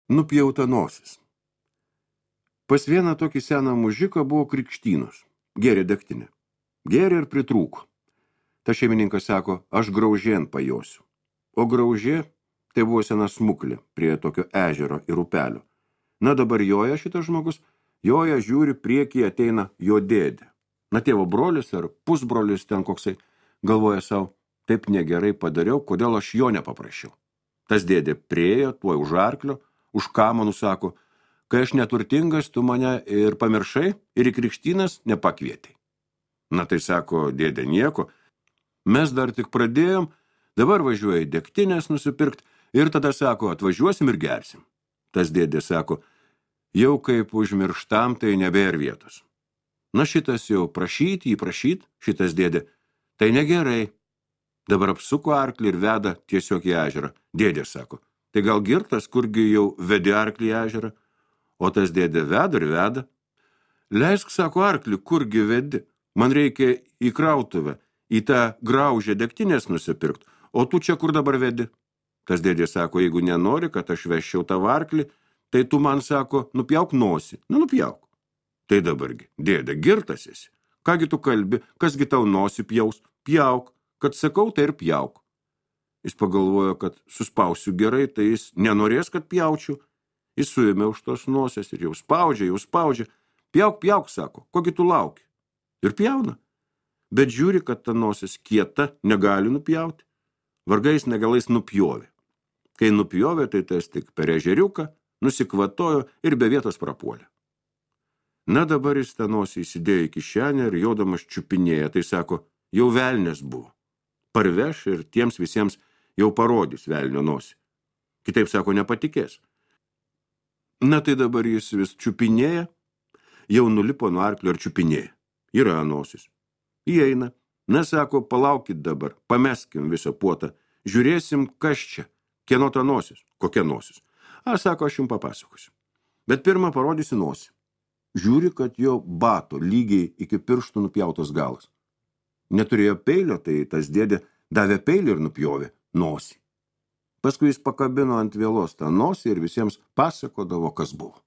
Nupjauta nosis. Pas vieną tokį seną mužiką buvo krikštynos. Gėrė degtinę. Gėrė ir pritrūko. Ta šeimininkas sako, aš graužėn pajosiu. O graužė tai buvo sena smuklė prie tokio ežero ir upelio. Na dabar joja šitas žmogus, joja žiūri priekį ateina jo dėdė. Na tėvo brolis ar pusbrolis ten koksai galvoja savo, taip negerai padariau, kodėl aš jo nepaprašiau. Tas dėdė priejo, tuoj už arklio, už kamanų sako, kai aš neturtingas, tu mane ir pamiršai ir į krikštynas nepakvietei. Na tai sako, dėdė nieko, mes dar tik pradėjom, dabar važiuoja į degtinės nusipirkt ir tada sako, atvažiuosim ir gersim. Tas dėdė sako, jau kaip užmirštam, tai nebėr vietos. Na šitas jau prašyt, šitas dėdė, tai negerai. Dabar apsuko arklį ir veda tiesiog į ežerą. Dėdė sako, tai gal girtas, kurgi jau vedi arklį į ežerą? O tas dėdė veda ir veda. Leisk, sako, arklį, kurgi vedi? Man reikia į krautuvę, į tą graužę degtinės nusipirkt, o tu čia kur dabar vedi? Tas dėdė sako, jeigu nenori, kad aš veščiau tavo arklį, tai tu man sako, nupjauk nosį. Nu, nupjauk. Tai dabargi, dėdė, girtas esi. Kągi tu kalbi, kasgi tau nosį pjaus? Pjauk, kad sakau, tai ir pjauk. Jis pagalvojo, kad suspausiu gerai, tai jis nenorės, kad pjaučiau. Jis suėmė už tos nosės ir jau spaudžia. Pjauk, sako, kogi tu lauki? Ir pjauna. Bet žiūri, kad ta nosis kieta, negali nupjauti. Vargais negalais nupjovė. Kai nupjovė, tai tas tik per ežeriuką, nusikvatojo ir be vietos prapuolė. Na dabar jis tą nosį įsidėjo į kišenę ir jodamas čiupinėja, tai sako, jau velnės buvo. Parveš ir tiems visiems jau parodys velnio nosį. Kitaip sako, nepatikės. Na tai dabar jis vis čiupinėja, jau nulipo nuo arklio ir čiupinėja. Yra nosis. Įeina. Na sako, palaukit dabar, pameskim visą puotą, žiūrėsim, kas čia, kieno ta nosis, kokia nosis. Sako, aš jums papasakosiu. Bet pirmą parodysi nosį. Žiūri, kad jo bato lygiai iki pirštų nupjautas galas. Neturėjo peilio, tai tas dėdė davė peilį ir nupjovė nosį. Paskui jis pakabino ant vielos tą nosį ir visiems pasakodavo, kas buvo.